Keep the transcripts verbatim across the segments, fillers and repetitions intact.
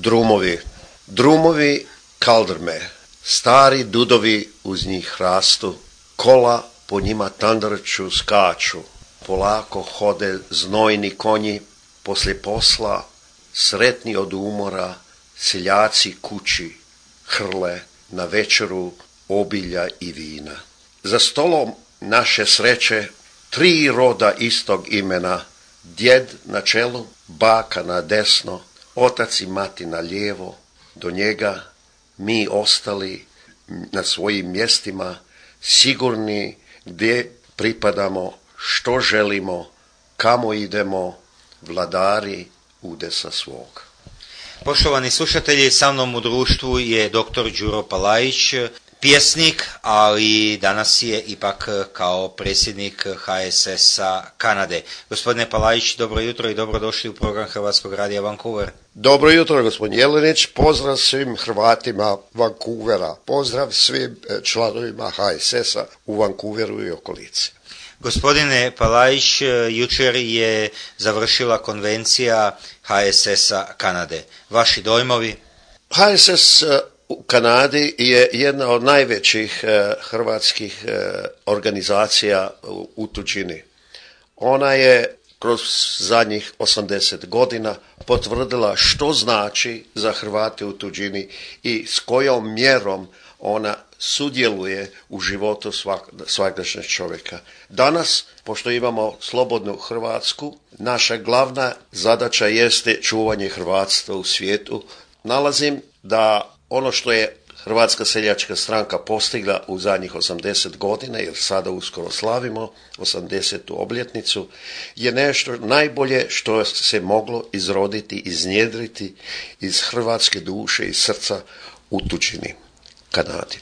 drumovi. Drumovi kaldrme, stari dudovi uz njih rastu, kola po njima tandrču skaču, polako hode znojni konji, poslije posla, sretni od umora, seljaci kući hrle na večeru obilja i vina. Za stolom naše sreće tri roda istog imena, djed na čelu, baka na desno, otac i mati na lijevo, do njega mi ostali na svojim mjestima, sigurni gdje pripadamo, što želimo, kamo idemo, vladari udesa svog. Poštovani slušatelji, sa mnom u društvu je doktor Đuro Palajić, pjesnik, ali danas je ipak kao predsjednik H S S-a Kanade. Gospodine Palajić, dobro jutro i dobrodošli u program Hrvatskog radija Vancouver. Dobro jutro, gospodin Jelenić, pozdrav svim Hrvatima Vancouvera, pozdrav svim članovima H S S-a u Vancouveru i okolici. Gospodine Palajić, jučer je završila konvencija H S S-a Kanade. Vaši dojmovi? H S S u Kanadi je jedna od najvećih eh, hrvatskih eh, organizacija u, u tuđini. Ona je kroz zadnjih osamdeset godina potvrdila što znači za Hrvate u tuđini i s kojom mjerom ona sudjeluje u životu svak, svakdašnjeg čovjeka. Danas, pošto imamo slobodnu Hrvatsku, naša glavna zadaća jeste čuvanje hrvatstva u svijetu. Nalazim da ono što je Hrvatska seljačka stranka postigla u zadnjih osamdeset godina, jer sada uskoro slavimo osamdesetu obljetnicu, je nešto najbolje što se moglo izroditi, iznjedriti iz hrvatske duše i srca u tuđini, Kanadi.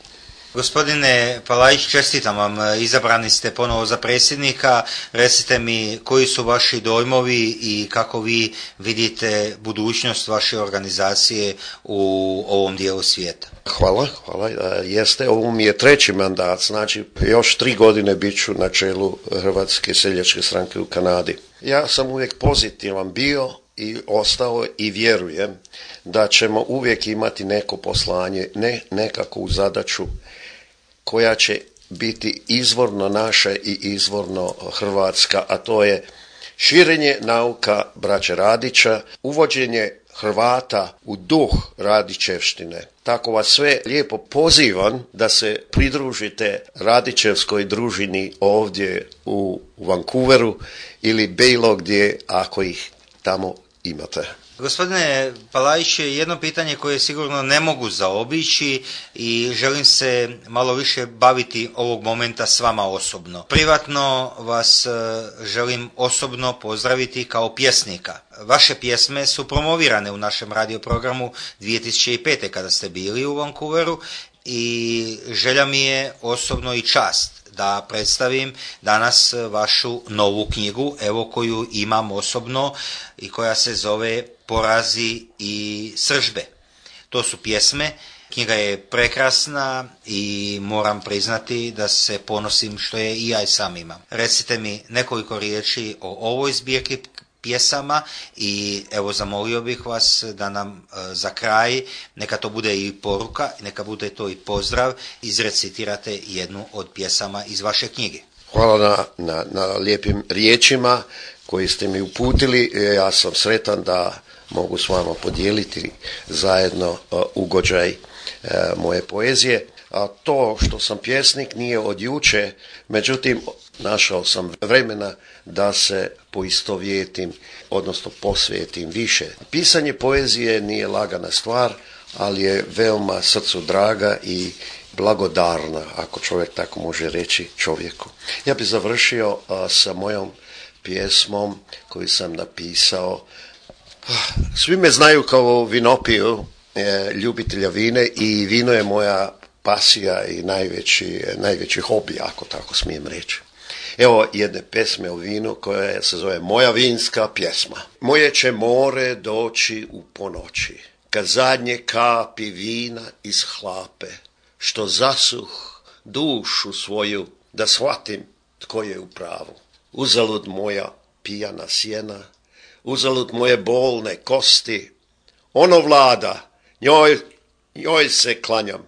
Gospodine Palajić, čestitam vam, izabrani ste ponovo za predsjednika. Recite mi koji su vaši dojmovi i kako vi vidite budućnost vaše organizacije u ovom dijelu svijeta. Hvala, hvala. Jeste, ovo mi je treći mandat, znači još tri godine bit ću na čelu Hrvatske seljačke stranke u Kanadi. Ja sam uvijek pozitivan bio i ostao i vjerujem da ćemo uvijek imati neko poslanje, ne nekakvu zadaću koja će biti izvorno naša i izvorno hrvatska, a to je širenje nauka braće Radića, uvođenje Hrvata u duh Radićevštine. Tako vas sve lijepo pozivam da se pridružite Radićevskoj družini ovdje u Vancouveru ili bilo gdje ako ih tamo imate. Gospodine Palajić, jedno pitanje koje sigurno ne mogu zaobići i želim se malo više baviti ovog momenta s vama osobno. Privatno vas želim osobno pozdraviti kao pjesnika. Vaše pjesme su promovirane u našem radioprogramu dvije tisuće pete. kada ste bili u Vancouveru i želja mi je osobno i čast da predstavim danas vašu novu knjigu, evo koju imam osobno i koja se zove Porazi i sržbe. To su pjesme, knjiga je prekrasna i moram priznati da se ponosim što je i ja i sam imam. Recite mi nekoliko riječi o ovoj zbirki pjesama i evo zamolio bih vas da nam e, za kraj, neka to bude i poruka, neka bude to i pozdrav, izrecitirate jednu od pjesama iz vaše knjige. Hvala na, na, na lijepim riječima koji ste mi uputili. Ja sam sretan da mogu s vama podijeliti zajedno uh, ugođaj uh, moje poezije. A to što sam pjesnik nije od juče, međutim našao sam vremena da se poistovjetim, odnosno posvetim više. Pisanje poezije nije lagana stvar, ali je veoma srcu draga i blagodarna, ako čovjek tako može reći čovjeku. Ja bih završio uh, sa mojom pjesmom koju sam napisao. Svi me znaju kao vinopiju, e, ljubitelja vine i vino je moja pasija i najveći, najveći hobi, ako tako smijem reći. Evo jedne pesme o vinu koja se zove Moja vinska pjesma. Moje će more doći u ponoći, kad zadnje kapi vina iz hlape, što zasuh dušu svoju da shvatim tko je u pravu. Uzalud moja pijana sjena, uzalud moje bolne kosti, ono vlada, njoj, njoj se klanjam.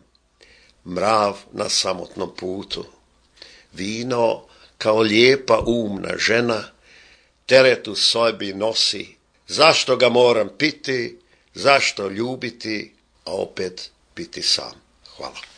Mrav na samotnom putu, vino kao lijepa umna žena, teret u sobi nosi, zašto ga moram piti, zašto ljubiti, a opet biti sam. Hvala.